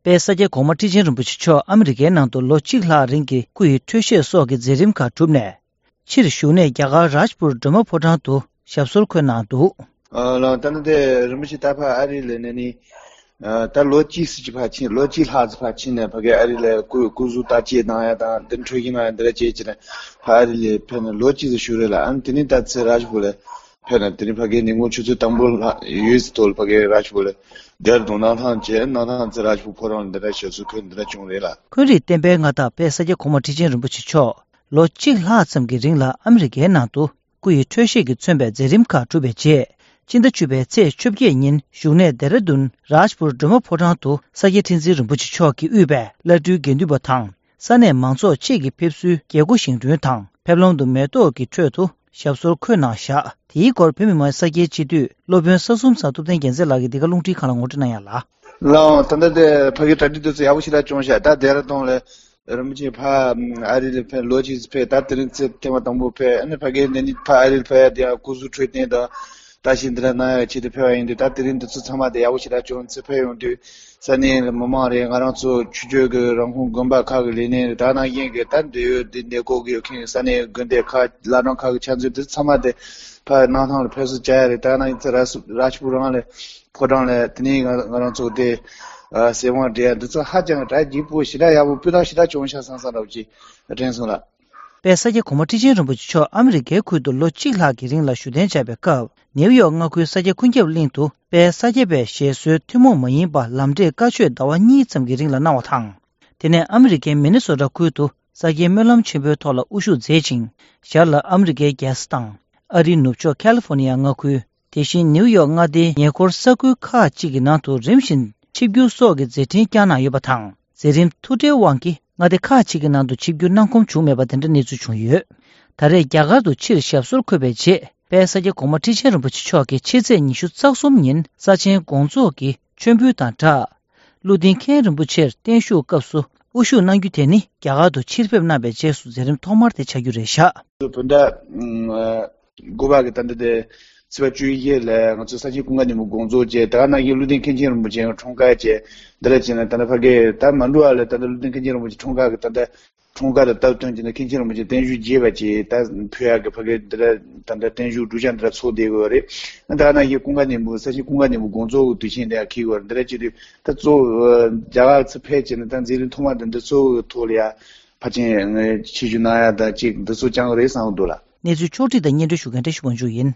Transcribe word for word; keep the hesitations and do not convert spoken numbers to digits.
དཔལ་ས་སྐྱ་གོང་མ་ཁྲི་ཆེན་རིན་པོ་ཆེ་མཆོག་ཨ་མི་རི་ཀའི་ནང་དུ་ལོ་གཅིག་ལྷག་རིང་གི་སྐུ་ཡི་འཕྲོད་བཞེས་སོགས་ཀྱི་མཛད་རིམ་ཁག་གྲུབ་ནས། ཕྱིར་བཞུགས་གནས་རྒྱ་གར་རཱཇ་པུར་སྒྲོལ་མ་ཕོ་བྲང་དུ་ཞབས་སོར་འཁོད་གནང་འདུག། ཨ་ལགས། ད་ནི་དེ་རིན་པོ་ཆེ་ད་ཕར་ཨ་རི་ལ་གནས་ནས། ཨ་ད་ལོ་གཅིག་ཙམ་ཅིག་ཕར་ཕྱིན། ལོ་གཅིག་ལྷག་ཙམ་ཕར་ཕྱིན་ནས་ཕ་གི་ཨ་རི་ལ་སྐུ་སྐུ་གཟུགས་བརྟག་དཔྱད་གནང་ཡ་དང་། འདི་འཕྲོད་བཞེས་གནང་ཡ་འདི་འདྲ་བྱས་བྱས་ནས་ཕར་ཨ་རི་ལ་ཕེབས་ནས་ལོ་གཅིག་ཙམ་བཞུགས་རེད་ལགས། ཨ་ནི་དེ་ནས་ད་ཚུར་རཱཇ་པུར་ལ་ཕེབས་ནས། དེ་ནས་ཕ་གི་ཉིན་གུང་ཆུ་ཚོད་དང་པོ་ལྷག་ཡོལ་ཚད་ཐོག་ལ་ཕ་གི་རཱཇ་པུར་ལ་ལྡེ་ར་ལྡུན་གནམ་ཐང་བྱས། གནམ་ཐང་ཚུར་རཱཇ་པུར་ཕོ་བྲང་ལ་འདི་འདྲ་ཞབས་སོར་འཁོད་འདི་འདྲ་བྱུང་རེད་ལགས། འཁོན་རིགས་བསྟན་པའི་མངའ་བདག་དཔལ་ས་སྐྱ་གོང་མ་ཁྲི་ཆེན་རིན་པོ་ཆེ་མཆོག་ལོ་གཅིག་ལྷག་ཙམ་གྱི་རིང་ལ་ཨ་མི་རི་ཀའི་ནང་དུ་སྐུ་ཡི་འཕྲོད་བཞེས་ཀྱིས་མཚོན་པའི་མཛད་རིམ་ཁག་གྲུབ་པའི་རྗེས། སྤྱི་ཟླ་བཅུ་པའི་ཚེས་བཅོ་བརྒྱད་ཉིན་བཞུགས་གནས་ལྡེ་ར་ལྡུན་རཱཇ་པུར་སྒྲོལ་མ་ཕོ་བྲང་དུ་ས་སྐྱ་ཁྲི་འཛིན་རིན་པོ་ཆེ་མཆོག་གིས་དབུས་པའི་བླ་སྤྲུལ་དགེ་འདུན་པ་དང་། ས་གནས་མང་ཚོགས་བཅས་ཀྱིས་ཕེབས་བསུའི་རྒྱལ་སྒོ་བཞེངས་སྐྲུན་དང་། ཕེབས་ལམ་དུ་མེ་ཏོག་གི་ཁྲོད་དུ་ཞབས་སོར་འཁོད་གནང་བཞག། དེའི་སྐོར་བོད་མི་མང་ས་སྐྱའི་སྤྱི་འཐུས་སློབ་དཔོན་ས་གསུམ་ཚང་ཐུབ་བསྟན་རྒྱལ་མཚན་ལགས་ཀྱིས་འདི་ག་རླུང་འཕྲིན་ཁང་ལ་ངོ་སྤྲོད་གནང་ཡ་ལགས། ལགས་འོང་། ད་ལྟ་དེ་ཕ་གི་གྲ་སྒྲིག་དེ་ཚོ་ཡག་པོ་ཞེ་དྲག་བྱུང་ཤག། ད་ལྡེ་ར་ལྡུན་ལ་རིན་པོ་ཆེ་ཕར་ཨ་རི་ལ་ཕེབས། ལོ་གཅིག་ཙམ་ཕེབས། ད་དེ་རིང་ཚེ་ཐེངས་མ་དང་པོ་ཕེབས། ཨ་ནི་ཕ་གི་འདི་ནས་ཕར་ཨ་རི་ལ་ཕེབས་ཡ་དེ་ཡང་སྐུ་གཟུགས་འཕྲོད་བསྟེན་དང་བརྟག་ཞིབ་འདི་འདྲ་གནང་ཡ་ཆེད་དུ་ཕེབས་པ་ཡིན་དུས། ད་དེ་རིང་འདི་ཚོ་ཚང་མ་དེ་ཡག་པོ་ཞེ་དྲག་བྱུང་། ཚུར་ཕེབས་ཡོང་དུས་ས་གནས་མི་མང་རེད། ང་རང་ཚོ་ཆོས་བརྒྱུད་ཀྱི་རང་ཁོངས་དགོན་པ་ཁག་གི་ལས་སྣེ་རེད། ད་ནང་བཞིན་གྱི་ད་འབྲེལ་ཡོད་འདི་གནས་སྐོར་གྱི་ཡོད་མཁན་ས་གནས་དགོན་སྡེ་ཁག་བླ་བྲང་ཁག་གི་ཕྱག་མཛོད་དེ་ཚང་མ་དེ་ཕར་གནམ་ཐང་ལ་ཕེབས་བསུ་བྱ་ཡ་རེད། ད་ནང་བཞིན་ཚུར་རཱཇ་རཱཇ་པུར་རང་ལ་ཕོ་བྲང་ལ་དེ་ནས་ང་ང་རང་ཚོ་དེ་ཨ་གསེར་དབང་སྤྲད་ཡ་འདི་ཚོ་ཧ་ཅང་གྲ་རྒྱས་པོ་ཞེ་དྲག་ཡག་པོ་སྤུས་དག་ཞེ་དྲག་བྱུང་ཤག་བསམ་བསམ་འདྲ་བོ་ཅིག་དྲན་སོང་ལགས། དཔལ་ས་སྐྱ་གོང་མ་ཁྲི་ཆེན་རིན་པོ་ཆེ་མཆོག་ཨ་མི་རི་ཀའི་ཁུལ་དུ་ལོ་གཅིག་ལྷག་གི་རིང་ལ་བཞུགས་གདན་འཇགས་པའི་སྐབས། ནེའུ་ཡོག་མངའ་ཁུལ་ས་སྐྱ་ཀུན་ཁྱབ་གླིང་དུ་དཔལ་ས་སྐྱ་པའི་ཞེ་སོའི་ཐུན་མོང་མ་ཡིན་པ་ལམ་འབྲས་བཀའ་ཆོས་ཟླ་བ་གཉིས་ཙམ་གྱི་རིང་ལ་གནང་བ་དང་། དེ་ནས་ཨ་མི་རི་ཀའི་མི་ནི་སོ་ཊ་ཁུལ་དུ་ས་སྐྱའི་སྨོན་ལམ་ཆེན་པོའི་ཐོག་ལ་དབུ་བཞུགས་མཛད་ཅིང་། ཞར་ལ་ཨ་མི་རི་ཀའི་རྒྱལ་ས་དང་། ཨ་རིའི་ནུབ་ཕྱོགས་ཁ་ལི་ཧྥོ་ནི་ཡ་མངའ་ཁུལ། དེ་བཞིན་ནེའུ་ཡོག་མངའ་སྡེའི་ཉེ་འཁོར་ས་ཁུལ་ཁག་ཅིག་གི་ནང་དུ་རིམ་བཞིན་ཆིབས་བསྒྱུར་སོགས་ཀྱི་མཛད་འཕྲིན་བསྐྱངས་གནང་ཡོད་པ་དང་། མཛད་རིམ་ཐུགས་ཁྲལ་དབང་གིས་མངའ་སྡེ་ཁག་ཅིག་གི་ནང་དུ་ཆིབས་བསྒྱུར་གནང་ཁོམ་བྱུང་མེད་པ་དེ་འདྲ་གནས་ཚུལ་བྱུང་ཡོད། ད་རེས་རྒྱ་གར་དུ་ཕྱིར་ཞབས་སོར་འཁོད་པའི་རྗེས། དཔལ་ས་སྐྱ་གོང་མ་ཁྲི་ཆེན་རིན་པོ་ཆེ་མཆོག་གིས་ཕྱི་ཚེས་ཉི་ཤུ་རྩ་གསུམ་ཉིན་ས་ཆེན་དགོངས་རྫོགས་ཀྱི་མཆོད་འབུལ་དང་སྦྲགས། ཀླུ་ལྡིང་མཁན་རིན་པོ་ཆེར་བརྟན་བཞུགས་སྐབས་སུ་དབུ་བཞུགས་གནང་རྒྱུ་དེ་ནི། རྒྱ་གར་དུ་ཕྱིར་ཕེབས་གནང་བའི་རྗེས་སུ་མཛད་རིམ་ཐོག་མར་དེ་ཆགས་རྒྱུ་རེད་བཞག། བོད་ཟླ་དགུ་པ་གི་ད་ལྟ་དེ་ཚེས་པ་བཅུ་བཞི་ལ་ང་ཚོ་ས་ཆེན་ཀུན་དགའ་སྙིང་པོ་དགོངས་རྫོགས་བྱས། དེ་ག་ནང་བཞིན་ཀླུ་ལྡིང་མཁན་ཆེན་རིན་པོ་ཆེའི་འཁྲུངས་སྐར་བྱས། འདི་ལ་བྱས་ན་ད་ལྟ་ཕ་གི་ད་མ་འགྲོ་བ་ལ་ད་ལྟ་ཀླུ་ལྡིང་མཁན་ཆེན་རིན་པོ་ཆེ་འཁྲུངས་སྐར་གི་ད་ལྟ་འཁྲུངས་སྐར་ལ་སྟབས་བསྟུན་བྱས་ནས་མཁན་ཆེན་རིན་པོ་ཆེ་བརྟན་བཞུགས་རྒྱས་པ་བྱས། ད་ཕུལ་ཡག་གི་ཕ་གི་འདི་ལ་ད་ལྟ་བརྟན་བཞུགས་སྒྲུབ་བྱ་འདི་ལ་ཚོགས་བསྡད་དགོས་རེད། ད་ག་ནང་བཞིན་ཀུན་དགའ་སྙིང་པོ་ས་ཆེན་ཀུན་དགའ་སྙིང་པོ་དགོངས་རྫོགས་ཀྱི་དུས་ཆེན་འདི་ཡང་འཁེལ་དགོས་རེད། འདི་ལ་བྱེད་དུས་ད་གཙོ་བོ་རྒྱ་གར་ཚུར་ཕེབས་བྱས་ནས་ད་མཛད་རིམ་ཐོག་མ་འདི་འདི་གཙོ་བོ་ཐོག་ལ་ཡ། ཕལ་ཆེར་ཆིབས་བསྒྱུར་གནང་ཡ་དང་གཅིག་འདི་ཚོ་བསྐྱངས་རེད་བསམ་གྱི་འདུག་ལགས། གནས་ཚུལ་ཕྱོགས་བསྒྲིགས་དང་སྙན་སྒྲོན་ཞུ་མཁན་བཀྲ་ཤིས་དབང་ཕྱུག་ཡིན།